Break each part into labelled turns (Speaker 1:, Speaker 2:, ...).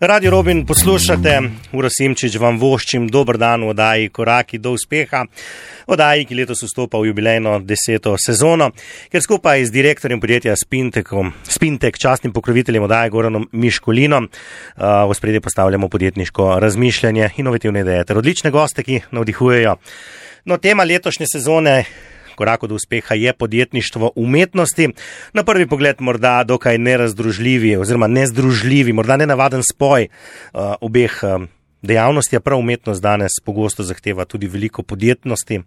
Speaker 1: Radio Robin poslušate, Uroš Simčič vam voščim dober dan v oddaji Koraki do uspeha, oddaji, ki letos vstopa v jubilejno 10. sezono, ker skupaj z direktorjem podjetja Spintek, častnim pokroviteljem oddaje Goranom Miškulinom, v ospredje postavljamo podjetniško razmišljanje, inovativne ideje ter odlične goste, ki navdihujejo. No, tema letošnje sezone Koraku do uspeha je podjetništvo umetnosti. Na prvi pogled morda dokaj nerazdružljivi oziroma nezdružljivi, morda nenavaden spoj obeh dejavnosti, a prav umetnost danes pogosto zahteva tudi veliko podjetnosti,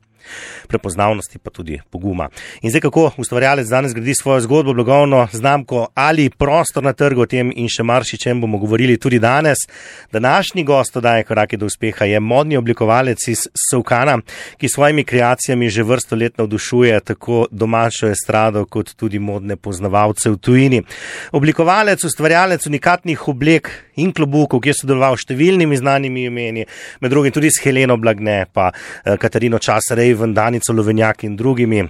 Speaker 1: prepoznavnosti pa tudi poguma. In zdaj, kako ustvarjalec danes gradi svojo zgodbo, blagovno znamko ali prostor na trgu, o tem in še marsičem bomo govorili tudi danes. Današnji gost oddaje Koraki do uspeha je modni oblikovalec iz Solkana, ki s svojimi kreacijami že vrsto let navdušuje tako domačo estrado kot tudi modne poznavalce v tujini. Oblikovalec, ustvarjalec unikatnih oblek in klobukov, ki je sodeloval s številnimi znanimi imeni, med drugim tudi s Heleno Blagne, pa Katarino Časarej, Danico Lovenjak in drugimi,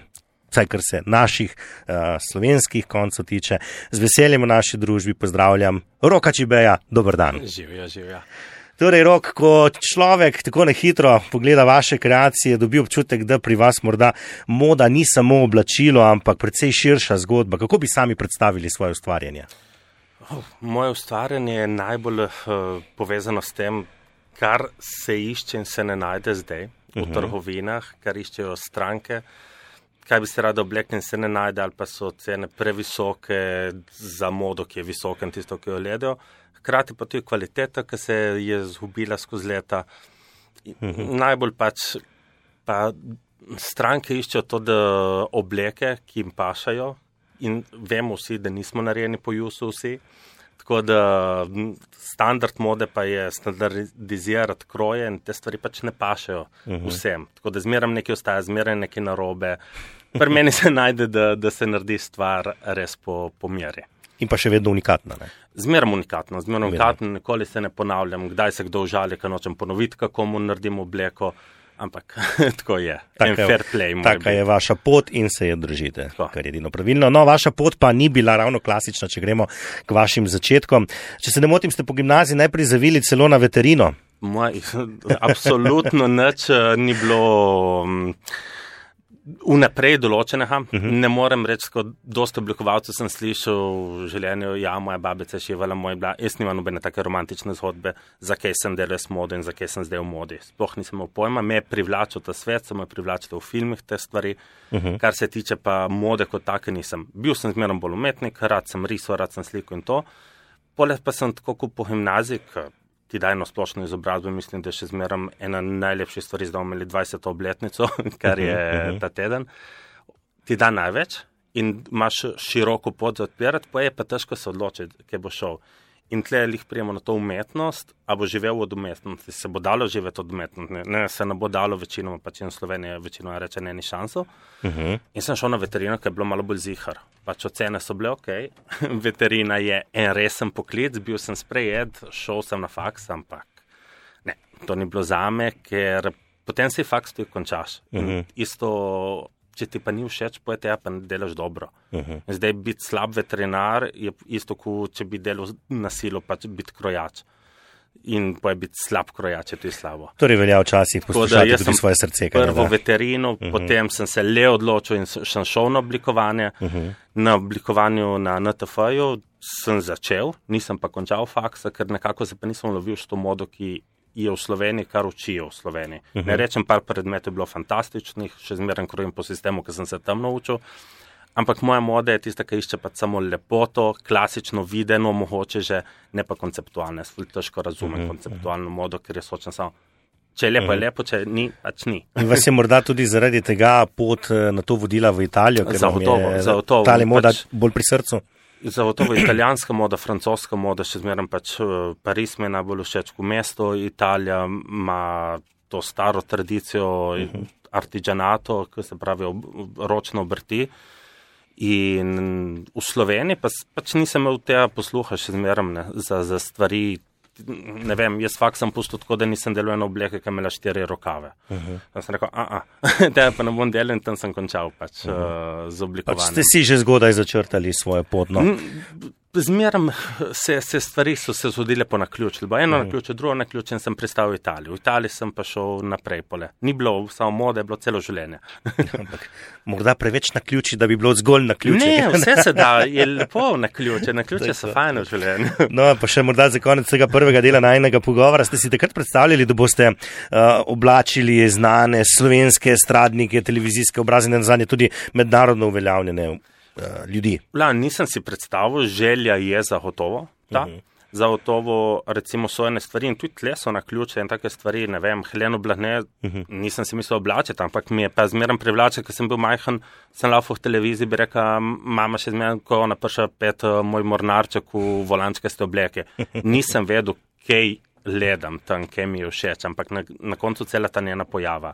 Speaker 1: vsaj kar se naših slovenskih koncev tiče. Z veseljem v naši družbi pozdravljam Roka Čibeja. Dober dan.
Speaker 2: Živja.
Speaker 1: Torej, Rok, ko človek tako na hitro pogleda vaše kreacije, dobi občutek, da pri vas morda moda ni samo oblačilo, ampak precej širša zgodba. Kako bi sami predstavili svoje ustvarjanje?
Speaker 2: Moje ustvarjanje je najbolj povezano s tem, kar se išče in se ne najde zdaj v trgovinah, kar iščejo stranke, kaj bi se rada oblekli in se ne najde, ali pa so cene previsoke za modo, ki je visoka in tisto, ki jo gledajo. Hkrati pa tudi kvaliteta, ki se je zgubila skozi leta. Najbolj pa stranke iščejo to, da obleke, ki jim pašajo, in vemo vsi, da nismo narejeni po jusu vsi. Tako da standard mode pa je standardizirati kroje in te stvari pač ne pašajo vsem. Tako da zmeraj nekaj ostaja, zmeraj nekaj narobe. Pri meni se najde, da se naredi stvar res po meri.
Speaker 1: In pa še vedno unikatna, ne?
Speaker 2: Zmeraj unikatno, nikoli se ne ponavljam, kdaj se kdo užali, ker nočem ponoviti, kako mu naredim obleko. Ampak tako je. Fair play.
Speaker 1: Taka je vaša pot in se je držite, kar je edino pravilno. No, vaša pot pa ni bila ravno klasična, če gremo k vašim začetkom. Če se ne motim, ste po gimnaziji najprej zavili celo na veterino.
Speaker 2: Absolutno nič ni bilo vnaprej določenega. Ne morem reči, kot dosta oblikovalcev sem slišal v življenju, moja babica je šivala, jaz nimam nobene take romantične zgodbe, zakaj sem delal s modo in zakaj sem zdaj v modi. Sploh nisem imel pojma, me je privlačil ta svet, so me privlačili v filmih te stvari, kar se tiče pa mode kot take nisem. Bil sem zmeraj bolj umetnik, rad sem risal, rad sem slikal in to. Poleg pa sem tako kot po gimnaziji, ti daj eno splošno izobrazbo, mislim, da je še zmeraj ena najlepših stvari, zdaj bomo imeli 20. obletnico, kar je ta teden. Ti da največ in imaš široko pot za odpirati, pa je pa težko se odločiti, kje bo šel. In tle lih prijemo na to umetnost, a bo živel od umetnosti, se bo dalo živeti od umetnosti, ne, se ne bo dalo večinoma, pač in Slovenija večinoma reče, ne, ni šansov. In sem šel na veterino, ker je bilo malo bolj zihar. Pač ocene so bile okej. Veterina je en resen poklic, bil sem sprejet, šel sem na faks, ampak ne, to ni bilo zame, ker potem si faks tudi končaš. Isto, če ti pa ni všeč, pojete, pa ne delaš dobro. Zdaj biti slab veterinar je isto, kot če bi delal na silo, pač biti krojač. In pa je biti slab krojač, je tudi slabo.
Speaker 1: Torej velja včasih poslušati tudi svoje srce.
Speaker 2: Prvo veterino, potem sem se le odločil in sem šel na oblikovanje. Na oblikovanju na NTF-ju sem začel, nisem pa končal faksa, ker nekako se pa nisem lovil s to modo, ki je v Sloveniji, kar učijo v Sloveniji. Ne rečem, par predmetov je bilo fantastičnih, še zmeraj krojim po sistemu, ker sem se tam naučil, ampak moja moda je tista, ki išče pa samo lepoto, klasično videno, mogoče že, ne pa konceptualne. Težko razumem konceptualno modo, ker je sočen samo, če je lepo, če ni, pač ni.
Speaker 1: In vas je morda tudi zaradi tega pot na to vodila v Italijo, ker vam je ta moda bolj pri srcu?
Speaker 2: Zagotovo italijanska moda, francoska moda, še zmeraj pač Pariz mi je najbolj všeč v mesto, Italija ima to staro tradicijo artigianato, ki se pravi ročno obrti. In v Sloveniji pač nisem imel tega posluha še zmeraj za stvari, ne vem, jaz fakt sem pustil tako, da nisem delal eno obleke, ki imela 4 rokave. Tam sem rekel, tega pa ne bom delal in tam sem končal pač z oblikovanjem.
Speaker 1: Pač ste si že zgodaj začrtali svojo pot, no?
Speaker 2: Zmeram se stvari so se zgodile po naključju. Eno naključje, drugo naključje in sem pristal v Italiji. V Italiji sem pa šel naprej pole. Ni bilo samo mode, je bilo celo življenje.
Speaker 1: Ampak morda preveč naključi, da bi bilo zgolj naključje.
Speaker 2: Ne, vse se da, je lepo naključje. Naključje so fajne v življenju.
Speaker 1: No, pa še morda za konec tega prvega dela najinega pogovora. Ste si takrat predstavljali, da boste oblačili znane slovenske estradnike, televizijske obraze, nazadnje tudi mednarodno uveljavljene ljudi?
Speaker 2: Nisem si predstavil, želja je zagotovo. Zagotovo, recimo, so ene stvari in tudi tle so naključje in take stvari, ne vem, Heleno Blagne, nisem si mislil oblačiti, ampak mi je pa zmeraj privlačil, ker sem bil majhen, sem laufal v televiziji, bi rekel, mama še zmeraj, ko ona prša pet moj mornarček v volančkaste obleke. Nisem vedel, kaj gledam tam, kaj mi je všeč, ampak na koncu cela ta njena pojava.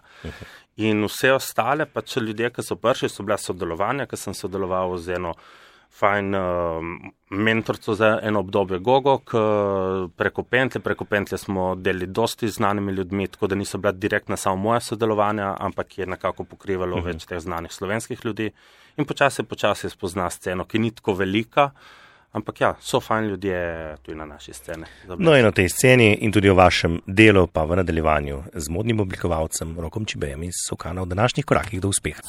Speaker 2: In vse ostale, pa če ljudje, ki so prišli, so bila sodelovanja, ki sem sodeloval z eno fajn mentorco za eno obdobje Gogo, preko Pentlje smo delili dosti znanimi ljudmi, tako da niso bila direktna samo moja sodelovanja, ampak je nekako pokrivalo več teh znanih slovenskih ljudi. In počasi spozna sceno, ki ni tako velika, ampak ja, so fajn ljudje tudi na naši sceni.
Speaker 1: No in o tej sceni in tudi o vašem delu pa v nadaljevanju z modnim oblikovalcem Rokom Čibejem iz Sokana v današnjih korakih do uspeha.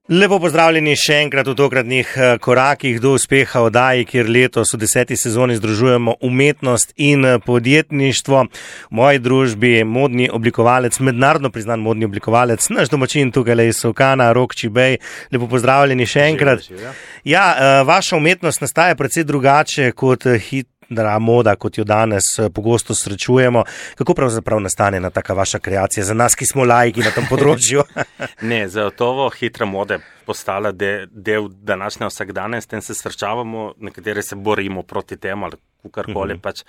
Speaker 1: Lepo pozdravljeni še enkrat v tokratnih korakih do uspeha oddaji, kjer letos v 10. sezoni združujemo umetnost in podjetništvo. V moji družbi modni oblikovalec, mednarodno priznan modni oblikovalec, naš domačin tukaj iz Sokana, Rok Čibej. Lepo pozdravljeni še enkrat. Ja, vaša umetnost nastaja precej drugače kot moda, kot jo danes pogosto srečujemo. Kako pravzaprav nastane ena taka vaša kreacija za nas, ki smo laiki na tem področju?
Speaker 2: Ne, zagotovo hitra moda postala del današnje vsakdana in s tem se srečavamo, nekateri se borimo proti temu ali kakorkoli, pač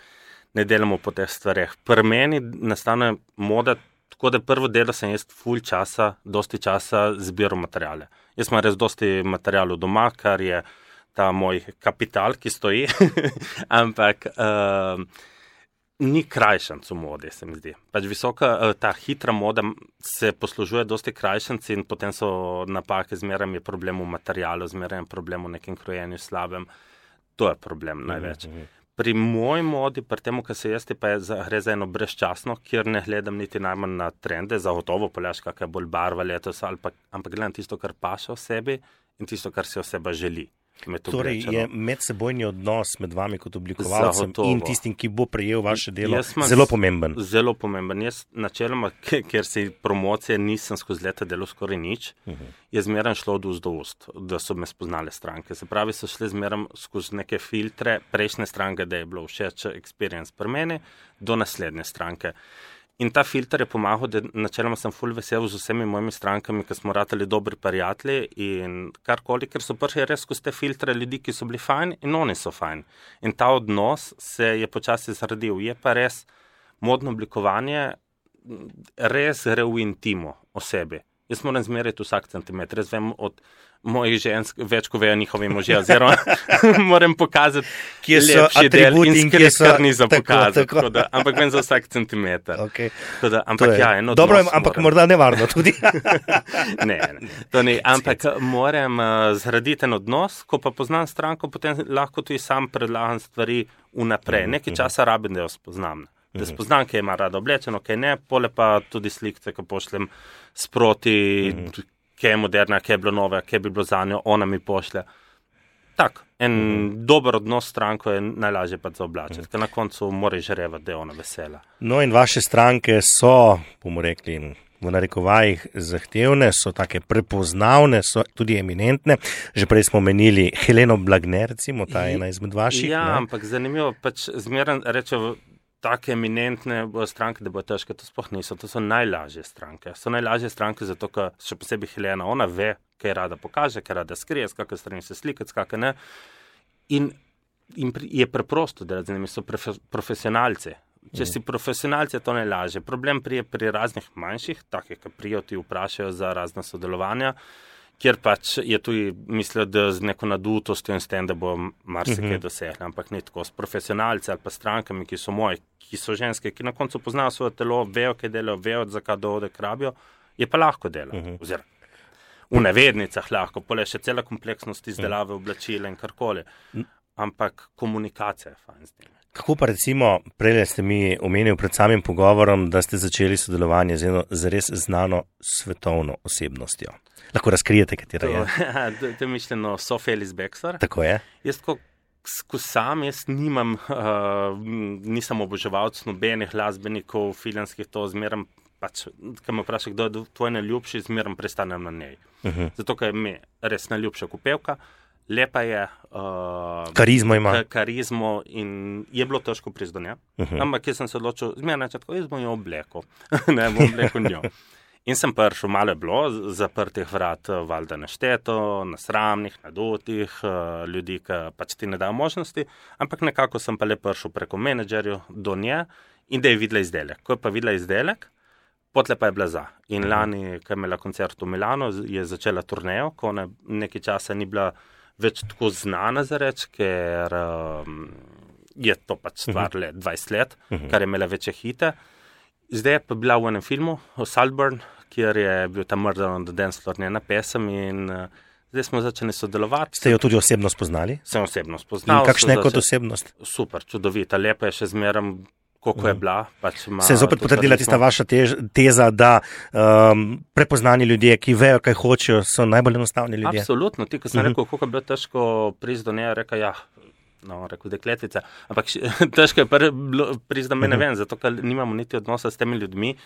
Speaker 2: ne delamo po teh stvareh. Pri meni nastane moda, tako da prvo delo sem jaz dosti časa zbiral materijale. Jaz imam res dosti materijalov doma, kar je ta moj kapital, ki stoji, ampak ni krajšanc v modi, se mi zdi. Pač ta hitra moda se poslužuje dosti krajšanci in potem so napake, zmeraj je problem v materialu, zmeraj je problem v nekem krojenju slabem. To je problem največ. Pri moji modi, pri temu, kar se jaz pa gre za eno brezčasno, kjer ne gledam niti najmanj na trende, zagotovo poljaš, kakaj bolj barva letos, ampak gledam tisto, kar paše v sebi in tisto, kar si oseba želi.
Speaker 1: Torej je medsebojni odnos med vami kot oblikovalcem in tistim, ki bo prejel vaše delo, zelo pomemben.
Speaker 2: Zelo pomemben. Jaz načeloma, ker si promocije nisem skozi leta delal skoraj nič, je zmeraj šlo od ust do ust, da so me spoznale stranke. Se pravi, so šli zmeraj skozi neke filtre prejšnje stranke, da je bilo všeč experience pri meni, do naslednje stranke. In ta filter je pomagal, da načeloma sem ful vesel z vsemi mojimi strankami, ki smo ratali dobri prijatelji in karkoli, ker so prišli res skozi te filtre ljudi, ki so bili fajn in oni so fajn. In ta odnos se je počasi zradil. Je pa res modno oblikovanje, res gre v intimo osebi. Jaz moram zmeriti vsak centimeter, jaz vem od mojih žensk, več ko vejo njihovi možje, oziroma moram pokazati,
Speaker 1: kje so atributi in kje so
Speaker 2: kar ni za pokazati. Ampak vem za vsak centimeter.
Speaker 1: Okay.
Speaker 2: Dobro,
Speaker 1: ampak morda nevarno tudi.
Speaker 2: ne, to ni. Ampak moram zgraditi en odnos, ko pa poznam stranko, potem lahko tudi sam predlagam stvari vnaprej. Nekaj časa rabim, da jo spoznam. Da spoznam, kaj ima rada oblečeno, kaj ne, pole pa tudi slikce, ko pošljem sproti, kaj je moderna, kaj je bilo nove, kaj bi bilo za njo, ona mi pošlje. Tak, en dober odnos s stranko je najlažje pa za oblačiti, ker na koncu mora žarevati, da je ona vesela.
Speaker 1: No in vaše stranke so, bomo rekli, v narekovajih zahtevne, so take prepoznavne, so tudi eminentne. Že prej smo menili Heleno Blagne, recimo, ta je ena izmed vaših.
Speaker 2: Ja, ampak zanimivo, pač zmeraj rečejo, take eminentne stranke, da bo težke, to sploh niso, to so najlažje stranke. So najlažje stranke zato, ker še posebej Helena, ona ve, kaj rada pokaže, kaj rada skrije, s kakve strani se slikati, s kakve ne. In je preprosto, da z njimi so profesionalci. Če si profesionalci, je to najlažje. Problem prije pri raznih manjših, takih, ki prijo ti vprašajo za razna sodelovanja, kjer pač je tudi mislil, da z neko nadutostjo in s tem, da bo marsikaj dosegli, ampak ni tako. S profesionalci ali pa strankami, ki so moji, ki so ženske, ki na koncu poznajo svoje telo, vejo, kaj delajo, vejo, zakaj dohodek rabijo, je pa lahko delo. v navednicah lahko, pole še cela kompleksnost izdelave oblačila in karkoli. Ampak komunikacija je fajn z njimi.
Speaker 1: Kako pa recimo, prej ste mi omenili pred samim pogovorom, da ste začeli sodelovanje z eno zares znano svetovno osebnostjo. Lahko razkrijete, katera je?
Speaker 2: To je mišljeno Sophie Ellis-Bextor.
Speaker 1: Tako je.
Speaker 2: Jaz ko sam, nisem oboževalc nobenih glasbenikov, filmskih, to zmeram, pač, ko me vpraša, kdo je tvoj najljubši, zmeram prestanem na njej. Zato, ker je mi res najljubša kupevka, lepa je.
Speaker 1: Karizmo ima.
Speaker 2: Karizmo in je bilo težko priti do nje. Ampak jaz sem se odločil, zmeraj načetko, jaz bom jo oblekel. Ne, bom oblekel njo. In sem prišel, malo je bilo zaprtih vrat, valjda nešteto, nasramnih, nadutih, ljudi, ki pač ti ne dajo možnosti, ampak nekako sem pa le prišel preko menedžerju do nje in da je videla izdelek. Ko je pa videla izdelek, potle pa je bila za. In lani, ko je imela koncert v Milano, je začela turnejo, ko ona nekaj časa ni bila več tako znana za reč, ker je to pač stvar le 20 let, kar je imela večje hite. Zdaj je pa bila v enem filmu, Saltburn, kjer je bil ta Murder on the Dance Floor njena pesem in zdaj smo začeli sodelovati.
Speaker 1: Ste jo tudi osebno spoznali?
Speaker 2: Sem osebno spoznal.
Speaker 1: In kakšna je kot osebnost?
Speaker 2: Super, čudovita, lepa je še zmeram, koliko je bila. Pač
Speaker 1: se je zopet potrdila tista vaša teza, da prepoznani ljudje, ki vejo, kaj hočejo, so najbolj enostavni ljudje?
Speaker 2: Absolutno, ti, ko sem rekel, koliko je bilo težko priti do nje, rekel, rekel dekletica, ampak težko je priti do mene ven, zato ker nimamo niti odnosa s temi ljudmi,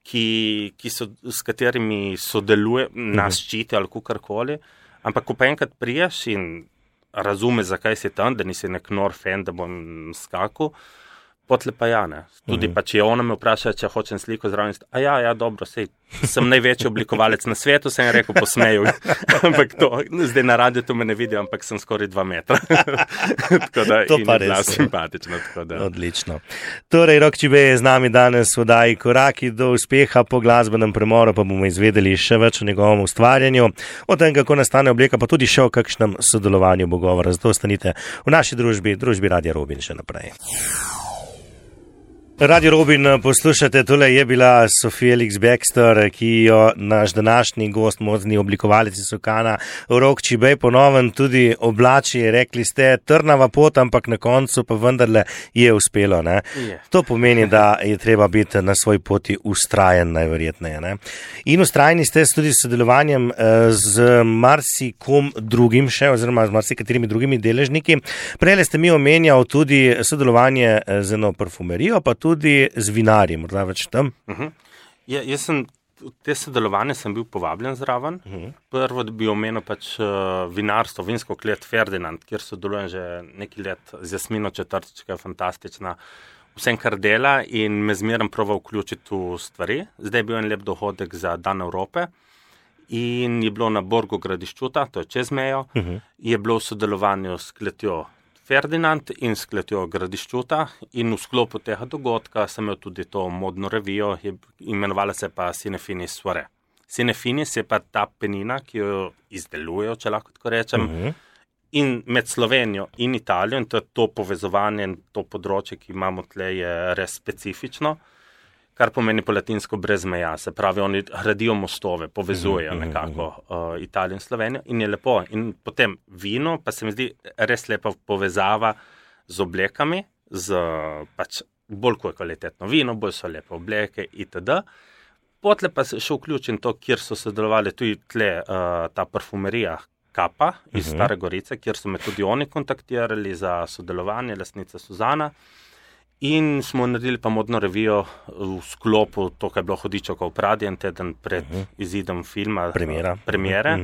Speaker 2: s katerimi sodeluje, nas ščiti ali kukarkoli, ampak ko pa enkrat priješ in razume, zakaj si tam, da nisi nek nor fan, da bom skakal, potle pa ja, ne. Tudi pa, če ona me vpraša, če hočem sliko zraven, dobro, sej, sem največji oblikovalec na svetu, sem rekel, posmeju. Ampak to, zdaj na radiju to me ne vidijo, ampak sem skoraj 2 metra. Tako da,
Speaker 1: to pa
Speaker 2: res simpatično. Tako da.
Speaker 1: Odlično. Torej, Rok Čibe je z nami danes v oddaji Koraki do uspeha, po glasbenem premoru pa bomo izvedeli še več o njegovem ustvarjanju, o tem, kako nastane obleka, pa tudi še o kakšnem sodelovanju bo govora. Zato ostanite v naši družbi Radia Robin še naprej. Radio Robin poslušate, tole je bila Sophie Ellis-Bextor, ki jo naš današnji gost, modni oblikovalec iz Sokana, Rok Čibe, ponoven tudi oblači, rekli ste, trnava pot, ampak na koncu pa vendarle je uspelo. Ne? To pomeni, da je treba biti na svoji poti ustrajen, najverjetneje. Ne? In ustrajni ste tudi s sodelovanjem z marsikom drugim še, oziroma z marsikaterimi drugimi deležniki. Prej ste mi omenjal tudi sodelovanje z eno parfumerijo, pa tudi z vinarjem, morda več tam?
Speaker 2: Jaz sem, te sodelovanje sem bil povabljen zraven. Prvo, da bi omenil pač vinarstvo, vinsko klet Ferdinand, kjer sodelujem že nekaj let z Jasmino Četrtič, ki je fantastična, vsem kar dela in me zmeraj proba vključiti v stvari. Zdaj je bil en lep dohodek za Dan Evrope in je bilo na Borgu Gradiščuta, to je čez mejo, je bilo v sodelovanju s kletjo Ferdinand in s kletjo Gradiščuta in v sklopu tega dogodka sem imel tudi to modno revijo, imenovala se pa Cinefinis Soirée. Cinefinis je pa ta penina, ki jo izdelujejo, če lahko tako rečem, in med Slovenijo in Italijo, in to povezovanje in to področje, ki imamo tle, je res specifično, kar pomeni po latinsko brez meja, se pravi, oni gradijo mostove, povezujejo nekako Italijo in Slovenijo in je lepo. In potem vino, pa se mi zdi res lepa povezava z oblekami, z pač bolj ko je kvalitetno vino, bolj so lepe obleke itd. Potle pa še vključim to, kjer so sodelovali tudi tle ta parfumerija Kapa iz Stare Gorice, kjer so me tudi oni kontaktirali za sodelovanje, lastnica Suzana. In smo naredili pa modno revijo v sklopu, to, kaj je bilo Hudičevo v Pradi, en teden pred izidom filma, premiere.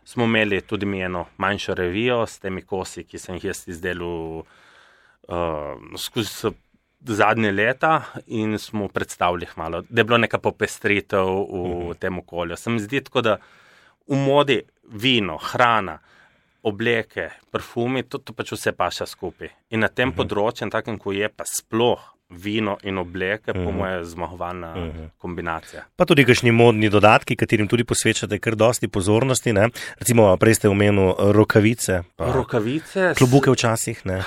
Speaker 2: Smo imeli tudi mi eno manjšo revijo s temi kosi, ki sem jih jaz izdelal skozi zadnje leta in smo predstavili malo, da je bilo neka popestritev v tem okolju. Se mi zdi tako, da v modi vino, hrana, obleke, parfumi, to pač vse paša skupaj. In na tem področju, takem, ko je pa sploh vino in obleke, po moje zmagovalna kombinacija.
Speaker 1: Pa tudi kakšni modni dodatki, katerim tudi posvečate kar dosti pozornosti, ne? Recimo, prej ste omenil rokavice.
Speaker 2: Rokavice.
Speaker 1: Klobuke včasih, ne?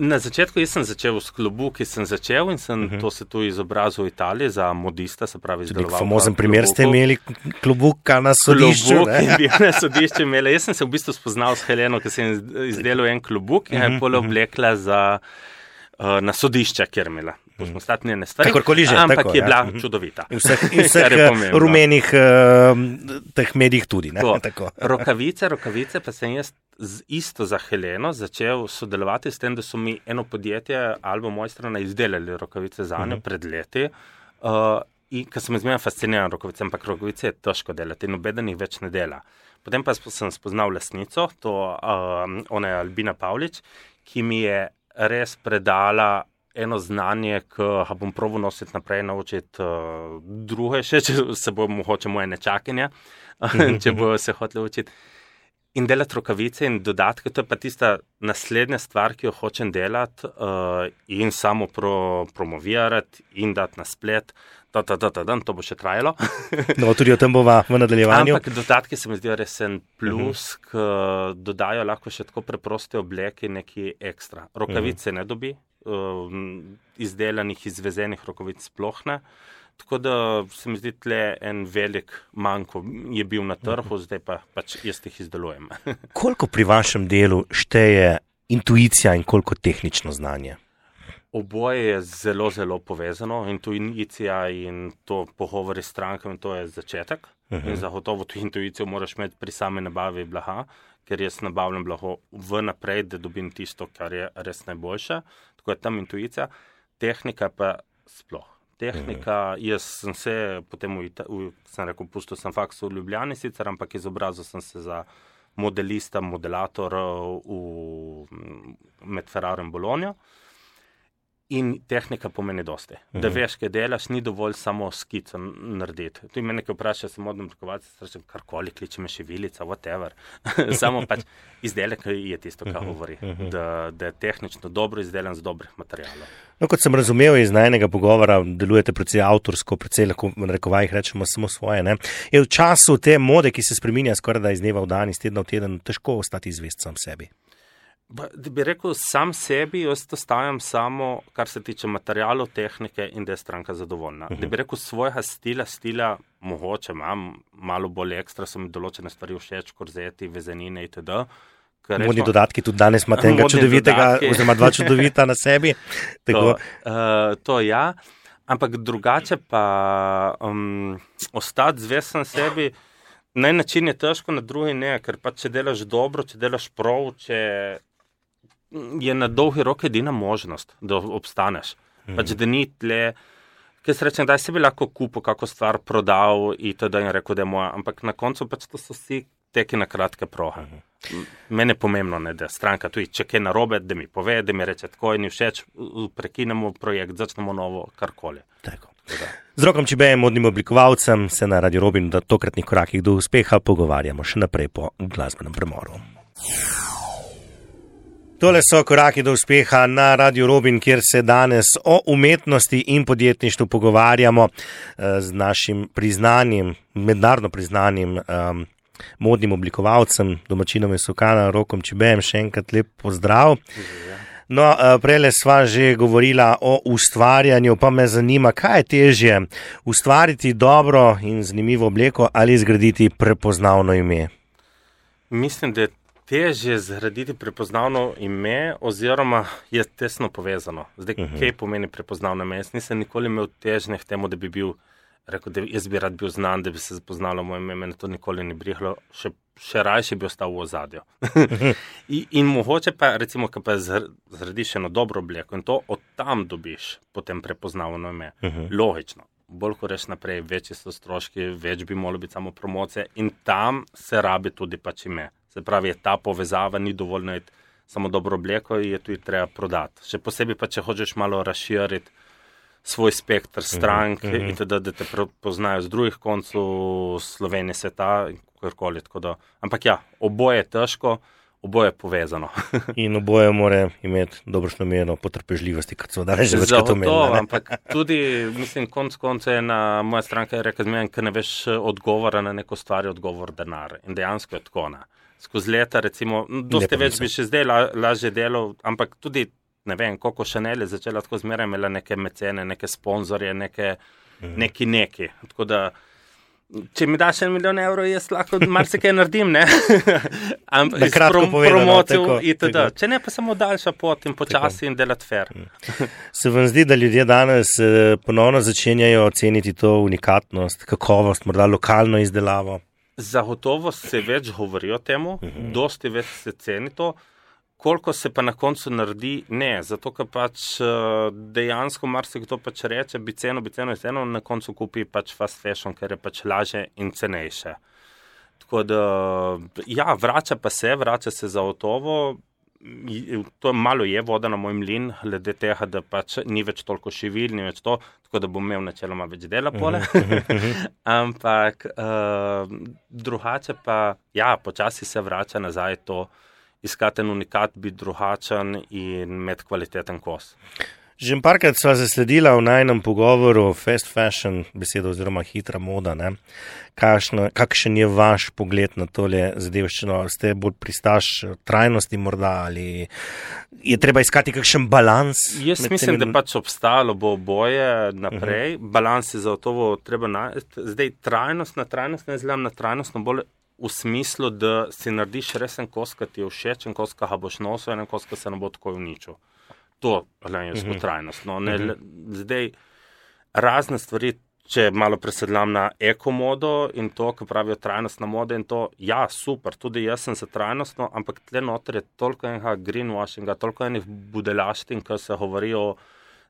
Speaker 2: Na začetku jaz sem začel s klobuki, in sem to se tu izobrazil v Italiji za modista, se pravi izdeloval.
Speaker 1: Famozen primer ste imeli klobuka na sodišču,
Speaker 2: ne? Klobuk je bil na sodišču imela. Jaz sem se v bistvu spoznal s Heleno, ki sem izdelal en klobuk in je pole oblekla na sodišča, kjer imela. Pošmostatnjene stvari, ampak tako, je bila čudovita.
Speaker 1: In vseh rumenih teh medijih tudi. Ne? Tako.
Speaker 2: Rokavice pa sem jaz isto za Heleno začel sodelovati s tem, da so mi eno podjetje Alba Mojstrana izdelali rokavice za njo pred leti. In ker sem izmerno fasciniran rokavice, ampak rokavice je težko delati in nobeden jih več ne dela. Potem pa sem spoznal lastnico, ona je Albina Pavlič, ki mi je res predala eno znanje, ki ga bom probal nositi naprej, naučiti druge še, če se bo mogoče moje nečakinja, če bo se hotela učiti. In delati rokavice in dodatke, to je pa tista naslednja stvar, ki jo hočem delati in samo promovirati in dati na splet. To bo še trajalo.
Speaker 1: No, tudi o tem bova v nadaljevanju.
Speaker 2: Ampak dodatki se mi zdijo res en plus, ki dodajo lahko še tako preproste obleke neki ekstra. Rokavice ne dobi, izdelanih, izvezenih rokavic sploh ne. Tako da se mi zdi tle en velik manko je bil na trhu, zdaj pa pač jaz jih izdelujem.
Speaker 1: Koliko pri vašem delu šteje intuicija in koliko tehnično znanje?
Speaker 2: Oboje je zelo, zelo povezano. Intuicija in to pogovori s strankami, to je začetek. In zagotovo to intuicijo moraš imeti pri sami nabavi blaga, ker jaz nabavljam blago vnaprej, da dobim tisto, kar je res najboljše. Tako je tam intuicija. Tehnika pa sploh. Tehnika, jaz sem se potem sem rekel, pustil sem faks v Ljubljani sicer, ampak izobrazil sem se za modelista, modelator med Ferraro in Bologno. In tehnika pomeni dosti. Da veš, kaj delaš, ni dovolj samo skico narediti. Tu me nekaj vpraša, sem modno oblikovalec, rečem, karkoli, kliče me šivilica, whatever. Samo pač izdelek je tisto, kar govori. Da je tehnično dobro izdelan z dobrih materialov.
Speaker 1: No, kot sem razumel iz najnega pogovora, delujete precej avtorsko, precej lahko v narekovajih rečemo samo svoje. Ne? Je v času te mode, ki se spreminja skoraj da iz dneva v dan, iz tedna v teden, težko ostati zvest sam sebi?
Speaker 2: Da bi rekel, sam sebi, jaz to stavim samo, kar se tiče materialov, tehnike in da je stranka zadovoljna. Da bi rekel, svojega stila mogoče imam, malo bolj ekstra, so mi določene stvari všeč, korzeti, vezenine itd.
Speaker 1: Modni dodatki, tudi danes imate enega čudovitega, oziroma dva čudovita na sebi.
Speaker 2: To ja, ampak drugače pa ostati zvest sam sebi, na en način je težko, na drugi ne, ker pa če delaš dobro, če delaš prav, če je na dolgi rok edina možnost, da obstaneš. Pač da ni tle, ker se rečem, da si bi lahko kupil kako stvar, prodal in rekel, da je moja, ampak na koncu pač to so vsi teki na kratke proge. Mene je pomembno, ne, da stranka tudi, če kaj narobe, da mi pove, da mi reče tako, ni všeč, prekinemo projekt, začnemo novo, karkoli.
Speaker 1: Tako. Z Rokom Čibejem, modnim oblikovalcem, se na Radio Robin v tokratnih korakih do uspeha pogovarjamo še naprej po glasbenem premoru. Tole so koraki do uspeha na Radio Robin, kjer se danes o umetnosti in podjetništvu pogovarjamo z našim priznanim, mednarodno priznanim modnim oblikovalcem, domačinom iz Sokana, Rokom Čibejem. Še enkrat lep pozdrav. No, prejle sva že govorila o ustvarjanju, pa me zanima, kaj je težje, ustvariti dobro in zanimivo obleko ali zgraditi prepoznavno ime?
Speaker 2: Mislim, da je težje zgraditi prepoznavno ime oziroma je tesno povezano. Zdaj, kaj pomeni prepoznavno ime? Jaz nisem nikoli imel težnje k temu, da bi bil, rekel, da jaz bi rad bil znan, da bi se poznalo moje ime, mene to nikoli ni brihlo, še rajše bi ostal v ozadju. In mogoče pa, recimo, ko pa zgradiš eno dobro obleko in to od tam dobiš potem prepoznavno ime. Logično. Bolj ko reš naprej, večji so stroški, več bi moralo biti samo promocije in tam se rabi tudi pač ime. Se pravi, je ta povezava, ni dovolj najti samo dobro obleko in je tudi treba prodati. Še posebej pa, če hočeš malo razširiti svoj spektr strank in da te poznajo z drugih koncev Slovenije, sveta in kakorkoli. Ampak ja, oboje je težko, oboje povezano.
Speaker 1: In oboje mora imeti dobrošno mero potrpežljivosti, kot so danes že večkrat omenili.
Speaker 2: Ampak tudi, mislim, konec je na moja stranka rekla, ker ne veš odgovora na neko stvar, je odgovor denar. In dejansko je tako. Skozi leta, recimo, dosti več bi še zdaj lažje delal, ampak tudi, ne vem, koliko Chanel je začela tako zmeraj, imela neke mecene, neke sponzorje, neki. Tako da, če mi daš 1 milijon evrov, jaz lahko marsikaj naredim, ne?
Speaker 1: Na kratko povedano.
Speaker 2: Itd. Če ne, pa samo daljša pot in počasi in delati fair.
Speaker 1: Se vam zdi, da ljudje danes ponovno začenjajo ceniti to unikatnost, kakovost, morda lokalno izdelavo?
Speaker 2: Zagotovo se več govori o temu, dosti več se ceni to, koliko se pa na koncu naredi, ne, zato ker pač dejansko marsikdo pač reče, bi ceno, na koncu kupi pač fast fashion, ker je pač lažje in cenejše. Tako da, ja, vrača se zagotovo, to malo je voda na moj mlin, glede tega, da pač ni več toliko živil, ni več to, tako da bom imel načeloma več dela pole. Ampak drugače pa, ja, počasi se vrača nazaj to, iskati en unikat, biti drugačen in imeti kvaliteten kos.
Speaker 1: Že parkrat sva zasledila v najnem pogovoru fast fashion besedo oziroma hitra moda, ne? Kakšen je vaš pogled na tole zadevščino? Ste bolj pristaš trajnosti morda ali je treba iskati kakšen balans?
Speaker 2: Jaz mislim, da pač obstalo bo oboje naprej. Balans je zagotovo treba najti. Zdaj trajnost ne zgledam na trajnostno bolj v smislu, da si narediš res en kos, ki ti je všeč, en kos, ki ga boš nosil, en kos, ki se ne bo tako uničil. To je trajnostno. Zdaj, razne stvari, če malo presedlam na ekomodo in to, ki pravijo trajnostna moda in to, ja, super, tudi jaz sem za trajnostno, ampak tle noter je toliko enega greenwashinga, toliko enih budelaštin, ki se govori o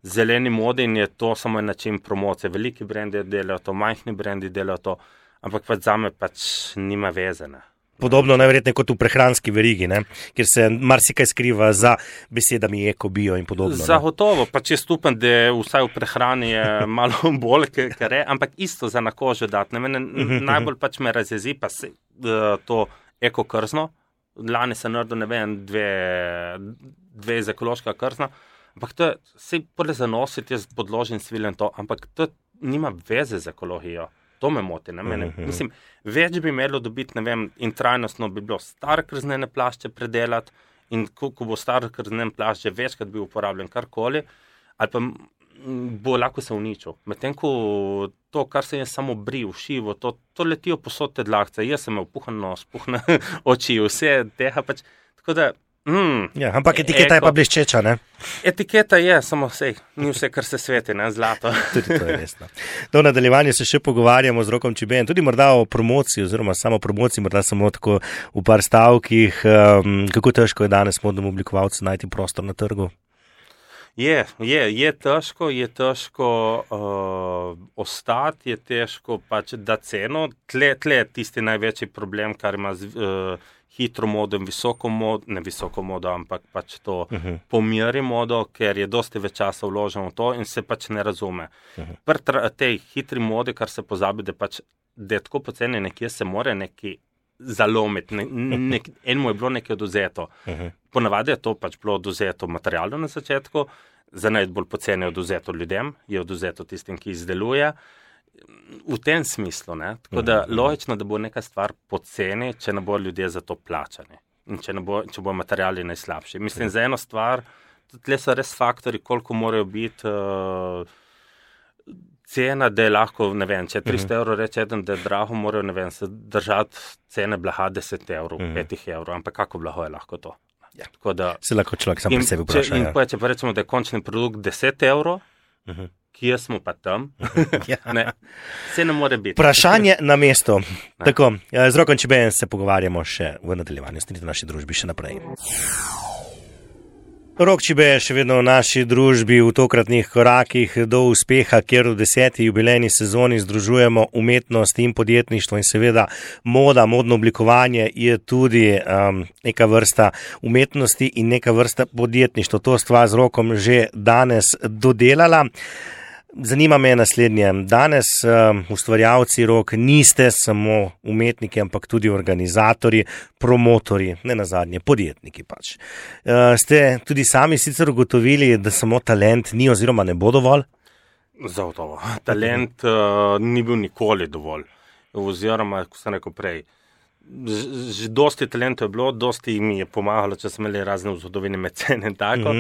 Speaker 2: zeleni modi in je to samo en način promocije. Veliki brendi delajo to, majhni brendi delajo to, ampak pač zame pač nima veze, ne.
Speaker 1: Podobno najverjetneje kot v prehranski verigi, ne? Kjer se marsikaj skriva za besedami eko, bio in podobno.
Speaker 2: Zagotovo, pač je stupen, da vsaj v prehrani je malo bolj, kar je, ampak isto za na kožo dati. Mene najbolj pač me razjezi pa se to eko krzno. Lani se naredil, ne vem, dve iz ekološka krzna, ampak to je, se pole zanositi, jaz podložim sviljen to, ampak to nima veze z ekologijo. To me moti, ne mene. Mislim, več bi imelo dobiti, ne vem, in trajnostno bi bilo stare krznene plašče predelati in ko bo stare krznene plašče večkrat bi uporabljen karkoli, ali pa bo lahko se uničil. Medtem ko to, kar se je samo bril, šivo, to letijo posod te dlakce. Jaz sem imel puhan nos, puhne oči, vse tega pač. Tako da,
Speaker 1: ja, ampak etiketa je pa bleščeča, ne?
Speaker 2: Etiketa je, samo ni vse, kar se sveti, ne, zlato.
Speaker 1: Tudi to je resno. Do nadaljevanja se še pogovarjamo z Rokom Čibejem, tudi morda o promociji, oziroma samo promociji, morda samo tako v par stavkih. Kako težko je danes modnemu oblikovalcu najti prostor na trgu? Je težko ostati, je težko pač dati ceno. Tle je tisti največji problem, kar ima hitro modo in ne visoko modo, ampak pač to pomeri modo, ker je dosti več časa vloženo v to in se pač ne razume. Pri tej hitri modi, kar se pozabi, da je tako poceni, nekje se more neki zalomiti, enemu je bilo nekaj oduzeto. Ponavadi je to pač bilo oduzeto materialno na začetku, za najbolj poceni je oduzeto ljudem, je oduzeto tistim, ki izdeluje. V tem smislu, ne? Tako da logično, da bo neka stvar poceni, če ne bo ljudje za to plačani in če bo materiali najslabši. Mislim, za eno stvar, tle so res faktori, koliko morajo biti cena, da je lahko, ne vem, če 300 evrov reče eden, da je drago, morajo, ne vem, se držati cene blaga 10 evrov, 5 evrov, ampak kako blago je lahko to? Ja.
Speaker 2: Tako da,
Speaker 1: se lahko človek sam pri sebi vpraša.
Speaker 2: In če pa rečemo, da je končni produkt 10 evrov, kje smo pa tam? Ne, vse ne more biti.
Speaker 1: Vprašanje na mesto. Tako, z Rokom Čibejem se pogovarjamo še v nadaljevanju, stanite v naši družbi še naprej. Rok Čibe je še vedno v naši družbi v tokratnih korakih do uspeha, kjer v 10. jubilejni sezoni združujemo umetnost in podjetništvo in seveda modno oblikovanje je tudi neka vrsta umetnosti in neka vrsta podjetništva. To stva z Rokom že danes dodelala. Zanima me naslednje. Danes ustvarjalci rok niste samo umetniki, ampak tudi organizatorji, promotorji, ne nazadnje podjetniki pač. Ste tudi sami sicer ugotovili, da samo talent ni oziroma ne bo dovolj?
Speaker 2: Zagotovo. Talent ni bil nikoli dovolj. Oziroma, ko sem rekel prej, že dosti talentov je bilo, dosti mi je pomagalo, če smo imeli razne vzhodovine mecene in tako.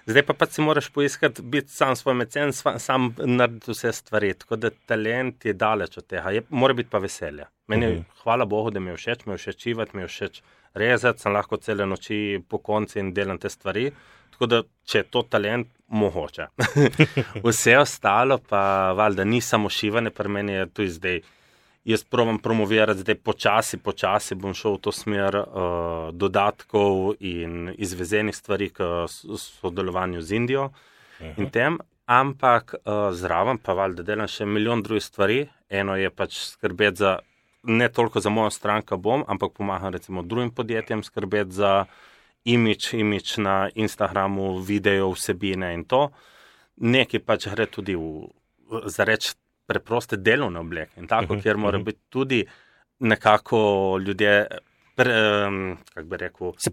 Speaker 2: Zdaj pa si moraš poiskati, biti sam svoj mecen, sam narediti vse stvari. Tako da talent je daleč od tega. Mora biti pa veselje. Meni, hvala Bogu, da mi je všeč čivati, mi je všeč rezati, sem lahko cele noči po konci in delam te stvari. Tako da, če je to talent, mogoče. Vse ostalo pa valjda ni samo šivanje, pri meni je tudi zdaj. Jaz probam promovirati zdaj počasi bom šel v to smer dodatkov in izvezenih stvari k sodelovanju z Indijo in tem, ampak zraven pa valjda delam še milijon drugih stvari. Eno je pač skrbeti za, ne toliko za mojo stranko ampak pomagam recimo drugim podjetjem skrbeti za imidž na Instagramu, video, vsebine in to. Nekaj pač gre tudi za reč preproste delovne obleke in tako, kjer mora biti tudi nekako ljudje, kako bi rekel,
Speaker 1: se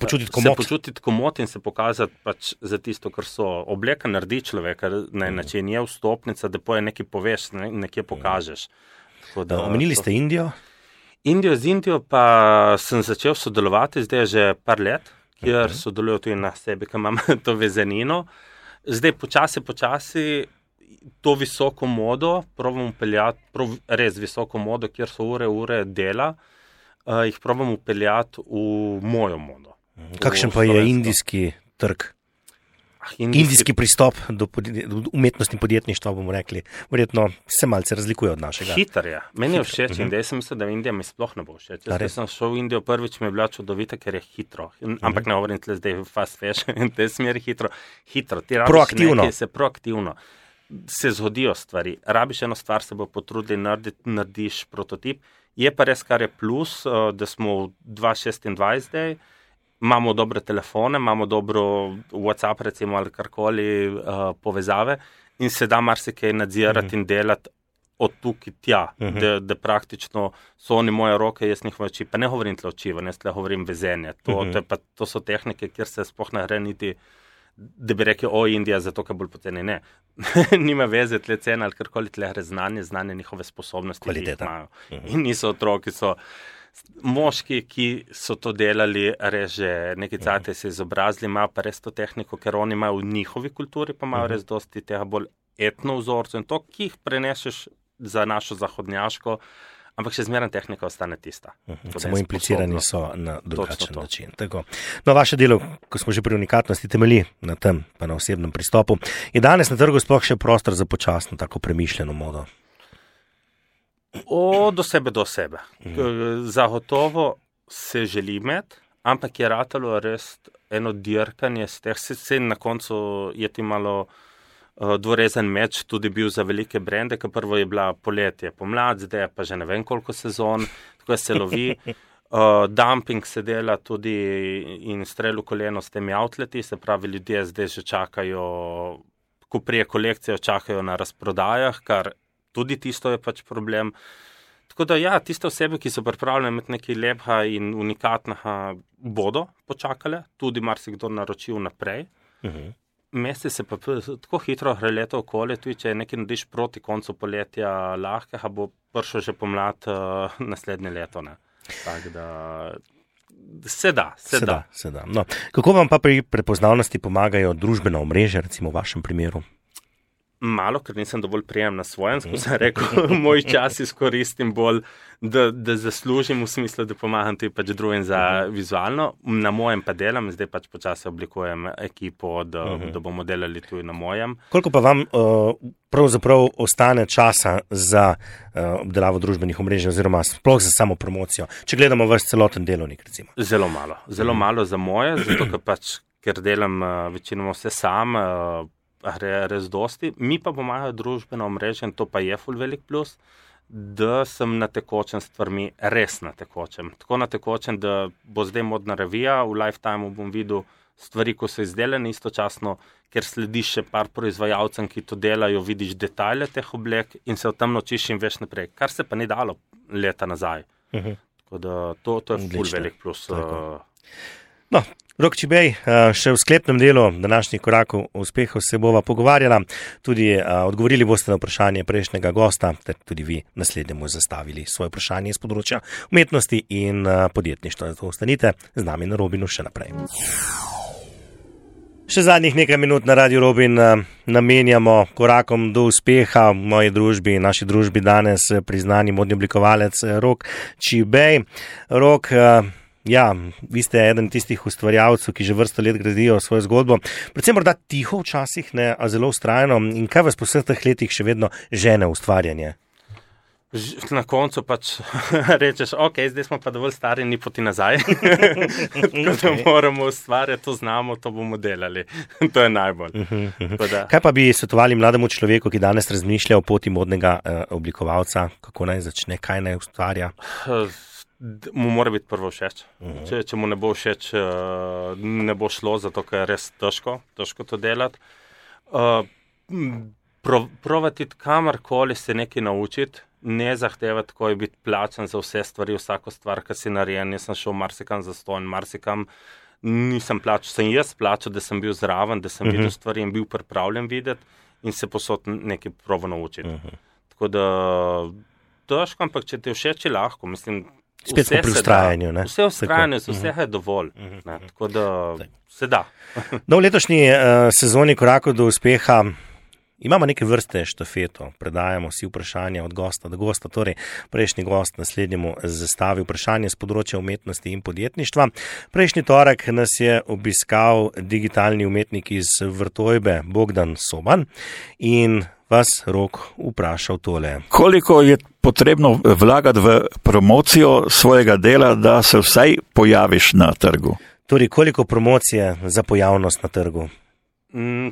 Speaker 1: počutiti
Speaker 2: komot in se pokazati pač za tisto, kar so. Obleka naredi človeka na način, je vstopnica, da nekaj poveš, nekje pokažeš.
Speaker 1: Omenili ste Indijo?
Speaker 2: Z Indijo pa sem začel sodelovati zdaj že par let, kjer sodelujo tudi na sebi, ki imam to vezenino. Zdaj počasi to visoko modo, probam upeljati, res visoko modo, kjer so ure dela, jih probam upeljati v mojo modo.
Speaker 1: Kakšen pa je indijski trg? Indijski pristop do umetnosti podjetništva, bomo rekli, verjetno se malce razlikuje od našega.
Speaker 2: Hiter je. Meni je všeč in da jaz sem mislil, da Indija mi sploh ne bo všeč. Jaz sem šel v Indijo prvič, mi je bila čudovita, ker je hitro. Ampak ne govorim tle zdaj fast fashion in te smeri hitro. Ti
Speaker 1: proaktivno.
Speaker 2: Proaktivno. Se zgodijo stvari. Rabiš eno stvar, se bo potrudili narediš prototip. Je pa res, kar je plus, da smo v 2026 zdaj, imamo dobre telefone, imamo dobro WhatsApp recimo ali karkoli povezave in se da marsikaj nadzirati in delati od tukaj tja, da praktično so oni moje roke, jaz njihove oči. Pa ne govorim tle očivanje, jaz tle govorim vezenje. To so tehnike, kjer se sploh ne gre niti da bi rekel, Indija, zato ker bolj poceni. Ne. Nima veze tle cena ali karkoli tle gre znanje njihove sposobnosti,
Speaker 1: kvaliteta,
Speaker 2: ki jih imajo. In niso otroki, so moški, ki so to delali, res že neki cajt se izobrazili, imajo pa res to tehniko, ker oni imajo v njihovi kulturi, pa imajo res dosti tega bolj etno vzorcev in to, ki jih preneseš za našo zahodnjaško, ampak še zmeraj tehnika ostane tista.
Speaker 1: Samo implicirani so na drugačen način. Tako. No, vaše delo, ko smo že pri unikatnosti, temelji na tem, pa na osebnem pristopu. Je danes na trgu sploh še prostor za počasno, tako premišljeno modo?
Speaker 2: Do sebe. Zagotovo se želi imeti, ampak je ratalo res eno dirkanje z teh. Se na koncu je ti malo dvorezen meč tudi bil za velike brende, ker prvo je bila poletje, pomlad, zdaj pa že ne vem koliko sezon, tako se lovi. Dumping se dela tudi in strel v koleno s temi outleti, se pravi, ljudje zdaj že čakajo, ko prije kolekcijo, čakajo na razprodajah, kar tudi tisto je pač problem. Tako da ja, tiste osebe, ki so pripravljene imeti nekaj lepega in unikatnega, bodo počakale, tudi marsikdo naročil naprej. Mesec se pa tako hitro gre leto okoli, tudi če nekaj narediš proti koncu poletja lahkega, bo prišel že pomlad naslednje leto. Tako da se da.
Speaker 1: No, kako vam pa pri prepoznavnosti pomagajo družbena omrežja, recimo v vašem primeru?
Speaker 2: Malo, ker nisem dovolj prijem na svojem, ko sem rekel, moj čas izkoristim bolj, da zaslužim v smislu, da pomagam tudi pač drugim za vizualno. Na mojem pa delam, zdaj pač počasi oblikujem ekipo, da bomo delali tudi na mojem.
Speaker 1: Koliko pa vam pravzaprav ostane časa za obdelavo družbenih omrežij oziroma sploh za samo promocijo, če gledamo vaš celoten delovnik, recimo?
Speaker 2: Zelo malo za moje, zato ker delam večinoma vse sam, gre res dosti. Mi pa pomagajo družbeno omrežje in to pa je ful velik plus, da sem na tekočem stvarmi, res na tekočem. Tako na tekočem, da bo zdaj modna revija, v Lifetime bom videl stvari, ko so izdelane istočasno, ker slediš še par proizvajalcem, ki to delajo, vidiš detajle teh oblek in se o tem naučiš in veš naprej, kar se pa ni dalo leta nazaj. Tako da to je ful velik plus.
Speaker 1: No, Rok Čibej, še v sklepnem delu današnjih korakov uspehov se bova pogovarjala, tudi odgovorili boste na vprašanje prejšnjega gosta, ter tudi vi naslednjemu zastavili svoje vprašanje iz področja umetnosti in podjetništva. Zato ostanite z nami na Robinu še naprej. Še zadnjih nekaj minut na Radiu Robin namenjamo korakom do uspeha v moji družbi, naši družbi danes priznani modni oblikovalec Rok Čibej. Rok, ja, vi ste eden tistih ustvarjalcev, ki že vrsto let gradijo svojo zgodbo, predvsem morda tiho včasih, ne, a zelo vztrajno. In kaj vas po vseh teh letih še vedno žene ustvarjanje?
Speaker 2: Na koncu pač rečeš, ok, zdaj smo pa dovolj stari, ni poti nazaj. Tako da moramo ustvarjati, to znamo, to bomo delali. To je najbolj.
Speaker 1: Kaj pa bi svetovali mlademu človeku, ki danes razmišlja o poti modnega oblikovalca? Kako naj začne, kaj naj ustvarja?
Speaker 2: Mu mora biti prvo všeč. Če mu ne bo všeč, ne bo šlo, zato ker je res težko to delati. Provati kamorkoli se nekaj naučiti, ne zahtevati, ko je biti plačan za vse stvari, vsako stvar, ki si narejen. Jaz sem šel marsikam zastonj, marsikam nisem plačal. Sem jaz plačal, da sem bil zraven, da sem videl stvari in bil pripravljen videti in se posod nekaj provo naučiti. Tako da težko, ampak če ti všeč, je lahko, mislim.
Speaker 1: Spet smo pri vztrajanju.
Speaker 2: Vse vztrajanje, vsega je dovolj. Tako da se da.
Speaker 1: No, v letošnji sezoni korakov do uspeha imamo neke vrste štafeto. Predajamo si vprašanja od gosta do gosta. Torej, prejšnji gost naslednjemu zastavi vprašanje z področja umetnosti in podjetništva. Prejšnji torek nas je obiskal digitalni umetnik iz Vrtojbe Bogdan Soban in vas, Rok, vprašal tole.
Speaker 3: Koliko je potrebno vlagati v promocijo svojega dela, da se vsaj pojaviš na trgu?
Speaker 1: Torej, koliko promocije za pojavnost na trgu?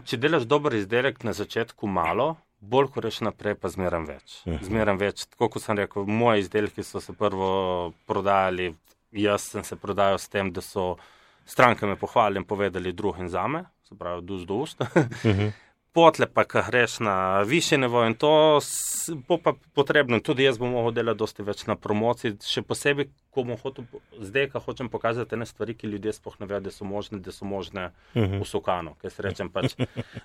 Speaker 2: Če delaš dober izdelek na začetku malo, bolj ko reš naprej, pa zmeram več. Zmeram več. Tako kot sem rekel, moji izdelki so se prvo prodajali, jaz sem se prodajal s tem, da so stranke me pohvalili in povedali drugim zame, se pravi, dus do ust. Potle pa, ko greš na višje nivo in to bo pa potrebno. Tudi jaz bom mogel delati dosti več na promociji, še posebej, ko bom hotel, zdaj, ko hočem pokazati ene stvari, ki ljudje sploh ne vedo, da so možne v Sokanu. Ker se rečem pač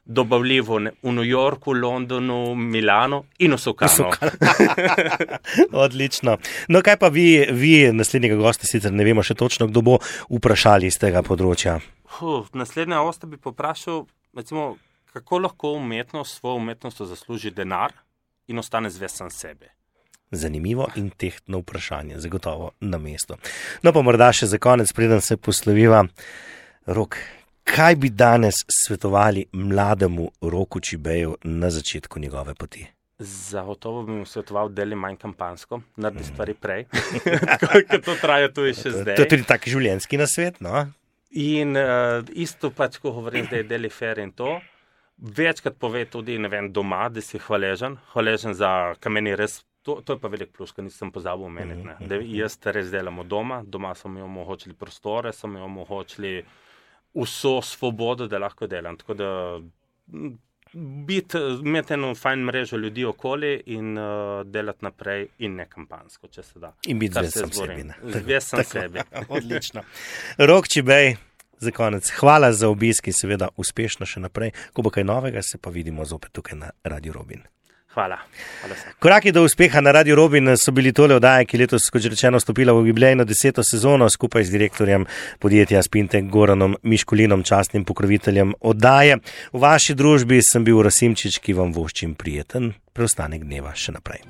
Speaker 2: dobavljivo v New Yorku, Londonu, Milano in v Sokanu.
Speaker 1: Odlično. No, kaj pa vi naslednjega gosta, sicer ne vemo še točno, kdo bo, vprašali iz tega področja?
Speaker 2: Naslednja gosta bi poprašal, recimo, kako lahko svojo umetnost zasluži denar in ostane zvest sam sebi.
Speaker 1: Zanimivo in tehtno vprašanje, zagotovo na mesto. No pa morda še za konec, preden se posloviva. Rok, kaj bi danes svetovali mlademu Roku Čibeju na začetku njegove poti?
Speaker 2: Zagotovo bi mu svetoval deli manj kampansko, naredi stvari prej, ker to traja tudi še zdaj.
Speaker 1: To je tudi tak življenjski nasvet, no?
Speaker 2: In isto pač, ko govorim, da je deli fair in to, večkrat pove tudi, ne vem, doma, da si hvaležen za kameni res, to je pa velik plus, ker nisem pozabil omeniti, da jaz res delamo doma so mi omogočili prostore, so mi omogočili vso svobodo, da lahko delam, tako da imeti eno fajn mrežo ljudi okoli in delati naprej in ne kampansko, če se da.
Speaker 1: In biti zvest sam sebi.
Speaker 2: Zvest sam sebi.
Speaker 1: Odlično. Rok Čibej, za konec, hvala za obisk in seveda uspešno še naprej. Ko bo kaj novega, se pa vidimo zopet tukaj na Radiu Robin.
Speaker 2: Hvala.
Speaker 1: Koraki do uspeha na Radiu Robin so bili tole oddaje, ki letos, kot že rečeno, stopila v jubilejno 10. sezono skupaj z direktorjem podjetja Spintek Goranom Miškulinom, častnim pokroviteljem oddaje. V vaši družbi sem bil Rasimčič, ki vam voščim prijeten preostanek dneva še naprej.